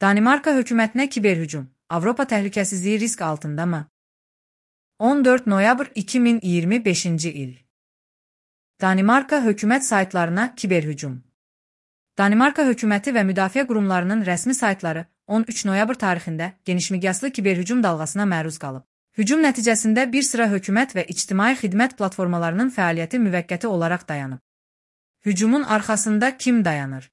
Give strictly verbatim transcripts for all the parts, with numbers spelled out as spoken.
Danimarka hökumətinə kiberhücum. Avropa təhlükəsizliyi risk altındamı? on dörd noyabr iki min iyirmi beşinci il. Danimarka hökumət saytlarına kiberhücum. Danimarka hökuməti və müdafiə qurumlarının rəsmi saytları on üç noyabr tarixində genişmiqyaslı kiberhücum dalğasına məruz qalıb. Hücum nəticəsində bir sıra hökumət və ictimai xidmət platformalarının fəaliyyəti müvəqqəti olaraq dayanıb. Hücumun arxasında kim dayanır?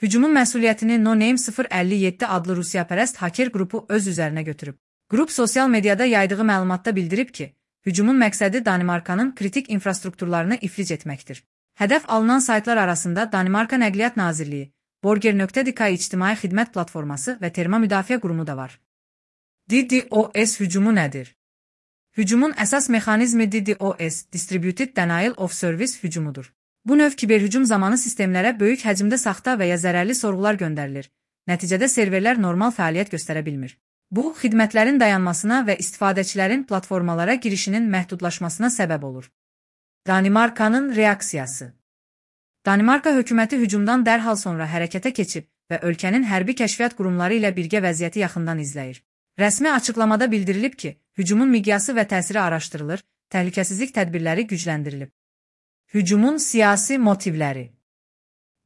Hücumun məsuliyyətini No Name sıfır əlli yeddi adlı rusiyapərəst haker qrupu öz üzərinə götürüb. Qrup sosial mediada yaydığı məlumatda bildirib ki, hücumun məqsədi Danimarkanın kritik infrastrukturlarını iflic etməkdir. Hədəf alınan saytlar arasında Danimarka Nəqliyyat Nazirliyi, Borger nöqtə D K ictimai xidmət platforması və Terma Müdafiə Qurumu da var. DDoS hücumu nədir? Hücumun əsas mexanizmi DDoS, Distributed Denial of Service hücumudur. Bu növ kiberhücum zamanı sistemlərə böyük həcmdə saxta və ya zərərli sorğular göndərilir. Nəticədə serverlər normal fəaliyyət göstərə bilmir. Bu, xidmətlərin dayanmasına və istifadəçilərin platformalara girişinin məhdudlaşmasına səbəb olur. Danimarkanın reaksiyası. Danimarka hökuməti hücumdan dərhal sonra hərəkətə keçib və ölkənin hərbi kəşfiyyat qurumları ilə birgə vəziyyəti yaxından izləyir. Rəsmi açıqlamada bildirilib ki, hücumun miqyası və təsiri araşdırılır, təhlükəsizlik tədbirləri gücləndirilib. Hücumun siyasi motivləri.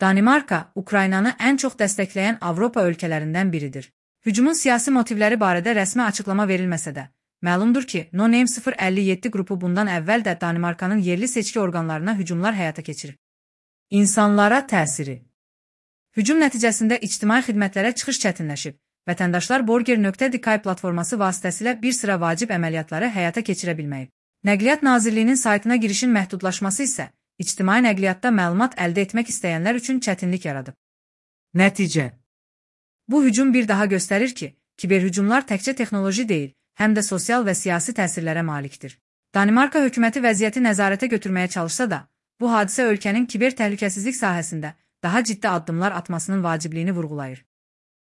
Danimarka, Ukraynanı ən çox dəstəkləyən Avropa ölkələrindən biridir. Hücumun siyasi motivləri barədə rəsmi açıqlama verilməsə də, məlumdur ki, No Name sıfır əlli yeddi qrupu bundan əvvəl də Danimarkanın yerli seçki orqanlarına hücumlar həyata keçirib. İnsanlara təsiri. Hücum nəticəsində ictimai xidmətlərə çıxış çətinləşib. Vətəndaşlar Borger nöqtə D K platforması vasitəsilə bir sıra vacib əməliyyatları həyata keçirə bilməyib. Nəqliyyat Nazirliyinin saytına girişin məhdudlaşması isə ictimai nəqliyyatda məlumat əldə etmək istəyənlər üçün çətinlik yaradıb. Nəticə. Bu hücum bir daha göstərir ki, kiberhücumlar təkcə texnoloji deyil, həm də sosial və siyasi təsirlərə malikdir. Danimarka hökuməti vəziyyəti nəzarətə götürməyə çalışsa da, bu hadisə ölkənin kiber təhlükəsizlik sahəsində daha ciddi addımlar atmasının vacibliyini vurğulayır.